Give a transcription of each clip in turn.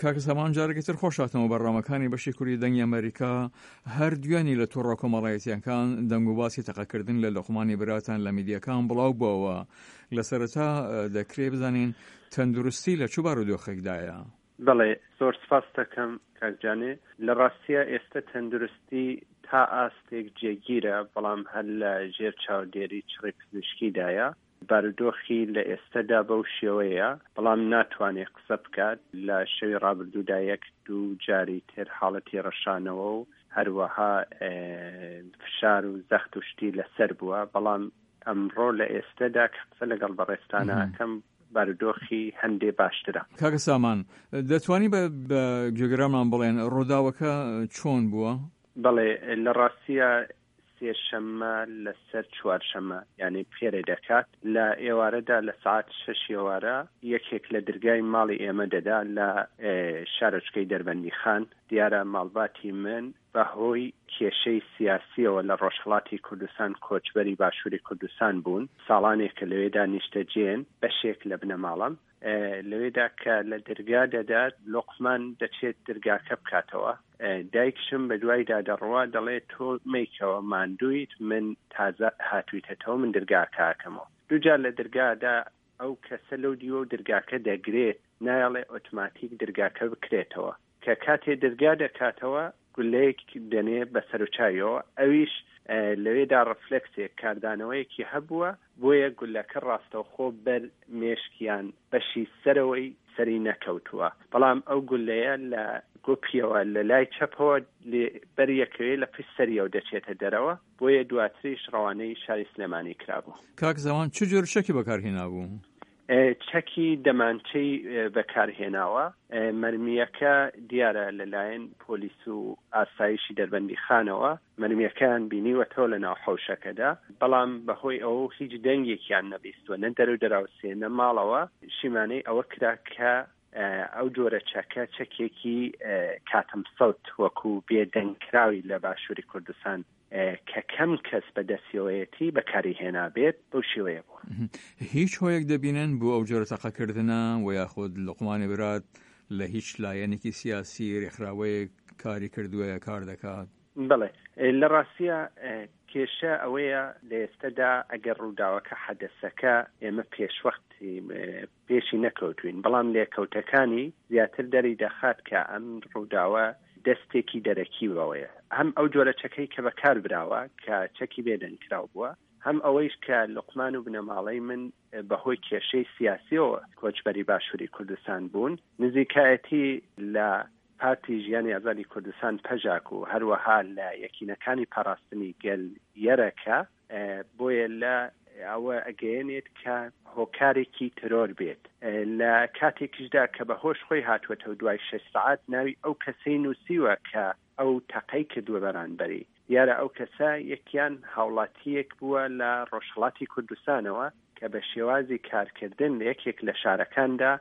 کاکە سامان جارێکی تر خۆش هاتنەوە بەرنامەکانی بەشی کوردی دەنگی ئەمەریکا. هەر دوێنی لە تۆڕە کۆمەڵایەتییەکان دەنگ و باسی تەقەکردن لە لوقمانی براتان لە میدیاکان بڵاو بووەوە. لە سەرەتا دەکرێ بزانین تەندروستی لە چ بارودۆخێکدایە؟ بەڵێ زۆر سپاست دەکەم کاک جانێ. لە ڕاستیا ئێستە تەندروستی تا ئاستێک جێگیرە بەڵام هەر لە ژێر چاودێری چڕی پزیشکیدایە. بارودۆخی لە ئێستەدا بەو شێوەیە، بەڵام ناتوانێ قسە بکات، لە شەوی ڕابردوودا یەک دوو جاری تر حاڵەتی ڕشانەوە و هەروەها فشار و زەخت و شتی لەسەر بووە، بەڵام ئەمڕۆ لە ئێستەدا کە قسە لەگەڵ بەڕێزتانە ئەکەم بارودۆخی هەندێ باشترە. کاکە سامان، دەتوانی بە گوێگرانمان بڵێن ڕووداوەکە چۆن بووە؟ بەڵێ، لە ڕاستیا سێشەممە لەسەر چوارشەممە یانی پێرێ دەکات لە ئێوارەدا لە سەعات شەش ئێوارە یەکێک لە درگای ماڵی ئێمە دەدا لە شارۆچکەی دەربەندیخان دیارە ماڵباتی من بە هۆی کێشەی سیاسیەوە لە ڕۆژهەڵاتی کوردستان کۆچبەری باشووری کوردستان بوون ساڵانێکە لەوێدا نیشتەجێن بەشێک لە بنەماڵەم لەوێدا کە لە درگا دەدات لوقمان دەچێت درگاکە بکاتەوە دایکشم بە دوایدا دەڕوا دەڵێ تۆ مەیکەوە ماندوویت من تازە هاتوویتەتەوە من درگاکە ئەکەمەوە دووجار لە درگادا ئەو کەسە لەو دیوە و درگاکە دەگرێت نایەڵێ ئۆتماتیک درگاکە بکرێتەوە کە کاتێ درگا دەکاتەوە گولەیەک دەنێ بە سەروچاویەوە ئەویش لەوێدا ڕفلێکسێک کاردانەوەیەکی هەبووە بۆیە گولەکە ڕاستەوخۆ بەر مێشک یان بەشی سەرەوەی سەری نەکەوتووە بەڵام ئەو گولەیە لە گۆپیەوە لە لای چەپەوە بەر یەکەوێ لە پشت سەریەوە دەچێتە دەرەوە بۆیە دواتریش ڕەوانەی شاری سلێمانی کرابوو. کاک زەوان چ جۆرە چەکی بەکار هێنابوو؟ چەکی دەمانچەی بەکارهێناوە، مەرمییەکە دیارە لەلایەن پۆلیس و ئاسایشی دەربەندیخانەوە مەرمییەکەیان بینیوەتەوە لەناو حەوشەکەدا، بەڵام بەهۆی ئەوە هیچ دەنگێکیان نەبیستووە نە دەرو دراوسێ نە ماڵەوە، شیمانەی ئەوە کرا کە ئەو جۆرە چەکە چەکێکی کاتم سەوت وەکو بێدەنگکراوی لە باشووری کوردستان کە کەم کەس بە دەستیەوەیەتی بەکاری هێنابێت بەو شێوەیە بووە. هیچ هۆیەک دەبینن بۆ ئەو جۆرە تەقەکردنە و یاخود لوقمانی برات لە هیچ لایەنێکی سیاسی رێکخراوەیەک کاری کردووە یا کار دەکات؟ بەڵێ لە ڕاستیا کێشە ئەوەیە لە ئێستەدا ئەگەر ڕووداوەکە حەدەسەکە ئێمە پێشوەخت پێشی نەکەوتوین، بەڵام لێکەوتەکانی زیاتر دەری دەخات کە ئەم ڕووداوە دەستێکی دەرەکی بەوەیە، هەم ئەو جۆرە چەکەی کە بەکار براوە کە چەکی بێدەنگکراو بووە، هەم ئەوەیش کە لوقمان و بنەماڵەی من بەهۆی کێشەی سیاسیەوە کۆچبەری باشووری کوردستان بوون، نزیکایەتی لە پارتی ژیانی ئازادی کوردستان پەژاک و هەروەها لە یەکینەکانی پاراستنی گەل یەرەکە، بۆیە لە ئەوە ئەگەیەنێت کە هۆکارێکی ترۆر بێت لە کاتێکیشدا کە بە هۆش خۆی هاتووەتەوە دوای شەش سەعات ناوی ئەو کەسەی نووسیوە کە ئەو تەقەی کردووە بەرانبەری دیارە ئەو کەسە یەکیان هاوڵاتییەک بووە لە ڕۆژهەڵاتی کوردستانەوە کە بە شێوازی کارکردن لە یەکێک لە شارەکاندا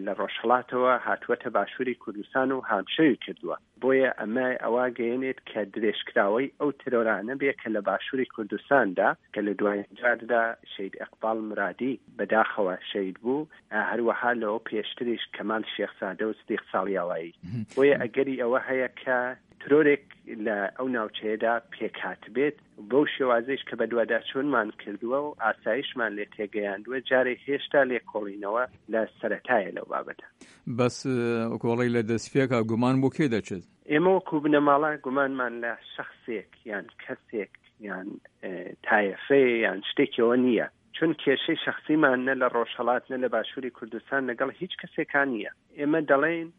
لە ڕۆژهەڵاتەوە هاتووەتە باشووری کوردستان و هامشەوی کردووە. بۆیە ئەمە ئەوە گەیەنێت کە درێژکراوەی ئەو ترۆرانە بێ کە لە باشووری کوردستاندا کە لە دوایین جاردا شەهید ئیقباڵ مرادی بەداخەوە شەهید بوو، هەروەها لەوە پێشتریش کەمال شێخزادە و سدیق ساڵیاوایی. بۆیە ئەگەری ئەوە هەیە کە ترۆرێک لە ئەو ناوچەیەدا پێکهاتبێت، بەو شێوازەیش کە بەدواداچوونمان کردووە و ئاسایشمان لێ تێگەیاندووە، جارێ هێشتا لێکۆڵینەوە لە سەرەتایە لەو بابەتە. بەس کۆڵی لە دەستپێکا گومان بۆ کێ دەچێت؟ ئێمە وەکوو بنەماڵە گومانمان لە شەخسێک یان کەسێک یان تایەفەیە یان شتێکیەوە نییە، چون کێشەی شەخسیمان نە لە ڕۆژهەڵات نە لە باشووری کوردستان لەگەڵ هیچ کەسێکا نییە. ئێمە دەڵێین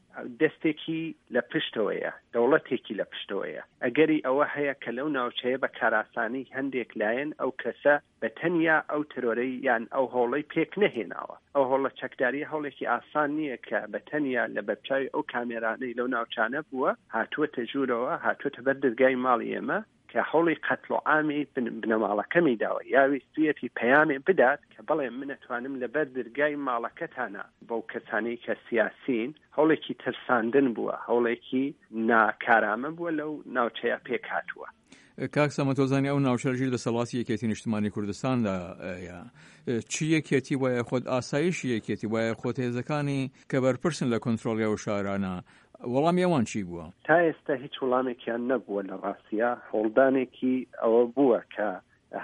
دەستێکی لە پشتەوەیە، دەوڵەتێکی لە پشتەوەیە. ئەگەری ئەوە هەیە کە لەو ناوچەیە بە کارئاسانی هەندێک لایەن ئەو کەسە بە تەنیا ئەو ترۆرەی یان ئەو هەوڵەی پێک نەهێناوە. ئەو هەوڵە چەکدارییە هەوڵێکی ئاسان نییە کە بە تەنیا لە بەرچاوی ئەو کامێرانەی لەو ناوچانە بووە هاتووەتە ژوورەوە، هاتووەتە بەر دەرگای ماڵی ئێمە کە هەوڵی قەتڵ و عامی بنەماڵەکەمی داوە یا ویستویەتی پەیامێ بدات کە بەڵێ من ئەتوانم لە بەر درگای ماڵەکەتانا بەو کەسانەی کە سیاسین هەوڵێکی ترساندن بووە هەوڵێکی ناکارامە بووە لەو ناوچەیە پێک هاتووە. کاک سامان تۆزانی ئەو ناوچە لەژیر دەسەڵاتی یەکێتی نیشتمانی کوردستاندا یە چ یەکێتی وایە خۆت ئاسایشی یەکێتی وایە خۆت هێزەکانی کە بەرپرسن لە کۆنترۆڵی ئەو شارانە وەڵامی ئەوان چی بووە؟ تا ئێستا هیچ وڵامێکیان نەبووە لە ڕاستیا هەوڵدانێکی ئەوە بووە کە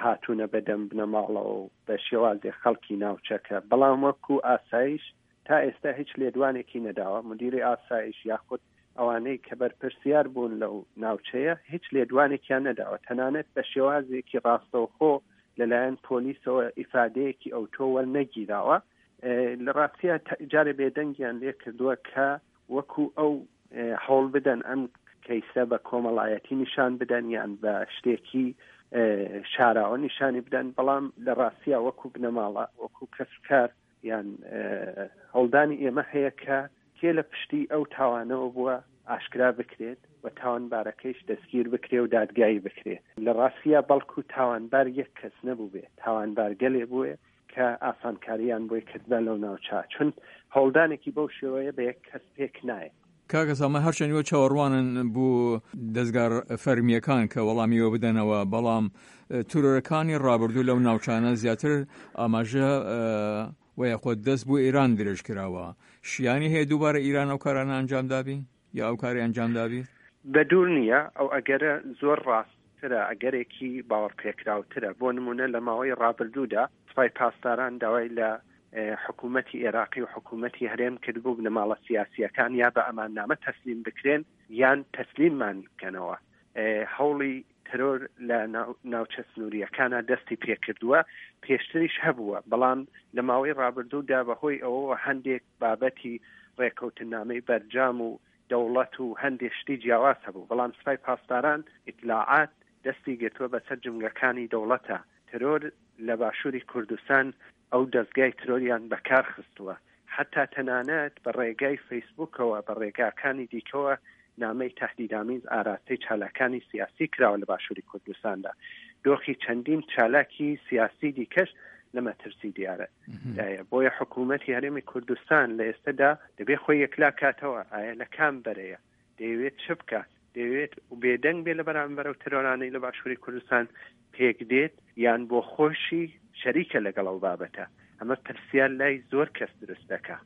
هاتوونە بەدەم بنەماڵەوە و بە شێوازێ خەڵکی ناوچەکە بەڵام وەکو ئاسایش تا ئێستا هیچ لێدوانێکی نەداوە مدیری ئاسایش یاخود ئەوانەی کە بەرپرسیار بوون لەو ناوچەیە هیچ لێدوانێکیان نەداوە تەنانەت بە شێوازێکی ڕاستەوخۆ لەلایەن پۆلیسەوە ئیفادەیەکی ئەوتۆ وەرنەگیراوە لە ڕاستە جارێ بێدەنگیان لێ کردووە کە وەکو ئەو هەوڵ بدەن ئەم کەیسە بە کۆمەڵایەتی نیشان بدەن یان بە شتێکی شاراوە نیشانی بدەن بەڵام لە ڕاستیا وەکو بنەماڵە وەکو کەسوکار یان هەوڵدانی ئێمە هەیە کە کێ لە پشتی ئەو تاوانەوە بووە ئاشکرا بکرێت و تاوانبارەکەیش دەستگیر بکرێ و دادگایی بکرێ لە ڕاستیا بەڵکو تاوانبار یەک کەس نەبووبێ تاوانبار گەلێ بووێ کە ئاسانکاریان بۆی کردبا لەو ناوچە چون هەوڵدانێکی بەو شێوەیە بە یەک کەس پێک نایە. کاکە سامان هەرچەند ئێوە چاوەڕوانن بۆ دەزگا فەرمییەکان کە وەڵامی ئێوە بدەنەوە، بەڵام ترۆرەکانی ڕابردوو لەو ناوچانە زیاتر ئاماژە و یاخود دەست بۆ ئێران درێژ کراوە. شیانی هەیە دووبارە ئیران ئەو کارانە ئەنجام دابی یا ئەو کاری ئەنجام دابی؟ بە دوور نییە، ئەو ئەگەرە زۆر ڕاستترە، ئەگەرێکی باوەڕپێکراوترە. بۆ نموونە لە ماوەی ڕابردوودا سوپای پاسداران داوای لە حکوومەتی ئێراقی و حکوومەتی هەرێم کردبوو بنەماڵە سیاسییەکان یا بە ئەماننامە تەسلیم بکرێن یان تەسلیممان بکەنەوە. هەوڵی ترۆر لە ناوچە سنوورییەکانا دەستی پێکردووە، پێشتریش هەبووە، بەڵام لە ماوەی ڕابردوودا بەهۆی ئەوەوە هەندێک بابەتی ڕێکەوتننامەی بەرجام و دەوڵەت و هەندێک شتی جیاواز هەبوو، بەڵام سپای پاسداران، ئیتلاعات، دەستی گرتووە بەسەر جومگەکانی دەوڵەتە. ترۆر لە باشووری کوردستان ئەو دەزگای ترۆریان بەکار خستووە، حەتا تەنانەت بە ڕێگای فەیسبووکەوە، بە ڕێگاکانی دیکەوە نامەی تەهدیدامیز ئاراستەی چالاکانی سیاسی کراوە لە باشووری کوردستاندا. دۆخی چەندین چالاکی سیاسی دیکەش لە مەترسی دیارە دایە. بۆیە حکوومەتی هەرێمی کوردستان لە ئێستەدا دەبێ خۆی یەکلا کاتەوە، ئایا لە کام بەرەیە؟ دەیەوێت چ بکات؟ دەیەوێت بێدەنگ بێ لە بەرامبەر ئەو ترۆرانەی لە باشووری کوردستان پێک دێت یان بۆ خۆشی شەریکە لەگەڵ ئەو بابەتە؟ ئەمە پرسیار لای زۆر کەس دروست دەکا.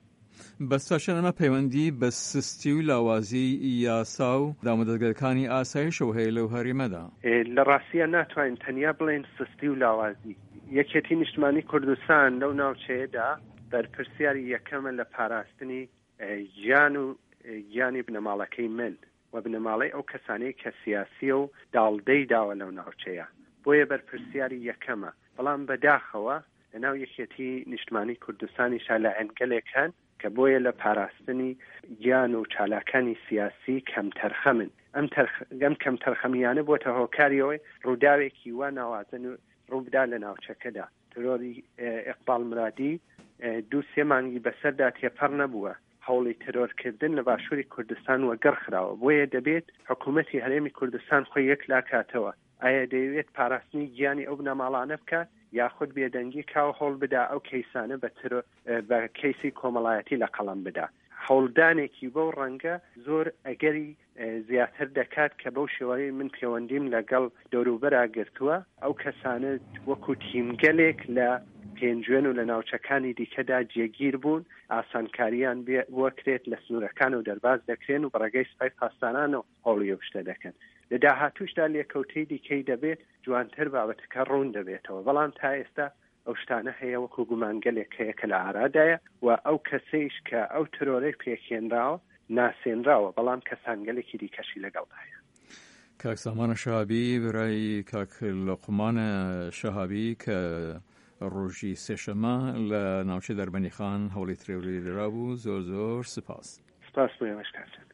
بەس تاچەند ئەمە پەیوەندی بە سستی و لاوازی یاسا و دامودەزگاکانی ئاسایشەوە هەیە لەو هەرێمەدا؟ لە ڕاستیا ناتوانین تەنیا بڵێین سستی و لاوازی. یەکێتی نیشتمانی کوردستان لەو ناوچەیەدا بەرپرسیاری یەکەمە لە پاراستنی گیان و گیانی بنەماڵەکەی من و بنەماڵەی ئەو کەسانەی کە سیاسیە و داڵدەی داوە لەو ناوچەیە بۆیە بەرپرسیاری یەکەمە بەڵام بە داخەوە لە ناو یەکێتی نیشتمانی کوردستانیشا لایەنگەلێک هەن کە بۆیە لە پاراستنی گیان و چالاکانی سیاسی کەمتەرخەمن ئەم ئەم کەمتەرخەمیانە بۆتە هۆکاری ئەوەی ڕووداوێکی وا ناوازە ڕووبدا لە ناوچەکەدا. ترۆری ئیقباڵ مرادی دوو سێ مانگی بەسەردا تێپەڕ نەبووە، هەوڵی ترۆرکردن لە باشووری کوردستان وەگەڕ خراوە، بۆیە دەبێت حکوومەتی هەرێمی کوردستان خۆی یەکلاکاتەوە، ئایا دەیەوێت پاراستنی گیانی ئەو بنەماڵانە بکات یاخود بێدەنگی کا و هەوڵ بدا ئەو کەیسانە بە ترۆ بە کەیسی کۆمەڵایەتی لە قەڵەم بدا؟ هەوڵدانێکی بەو ڕەنگە زۆر ئەگەری زیاتر دەکات کە بەو شێوەیەی من پێوەندیم لەگەڵ دەوروبەرا گرتووە، ئەو کەسانە وەکو تیمگەلێک لە پێنجوێن و لە ناوچەکانی دیکەدا جێگیر بوون، ئاسانکارییان بۆکرێت لە سنوورەکانەوە دەرباز دەکرێن و بە ڕێگەی سوپای پاسدارانەوە هەوڵی ئەو شتە دەکەن. لە داهاتووشدا لێکەوتەی دیکەی دەبێت، جوانتر بابەتەکە ڕوون دەبێتەوە، بەڵام تا ئێستا ئەو شتانە هەیە وەکو گومانگەلێک هەیە کە لە ئارادایە و ئەو کەسەیش کە ئەو ترۆرەی پێکهێنراوە ناسێنراوە بەڵام کەسانگەلێکی دیکەشی لەگەڵدایە. کاک سامان شەهابی برای کاک لوقمان شەهابی کە ڕۆژی سێشەمە لە ناوچەی دەربەندیخان هەوڵی ترۆری درابوو زۆر زۆر سپاس. سپاس بۆ ئێوەش کاک جان.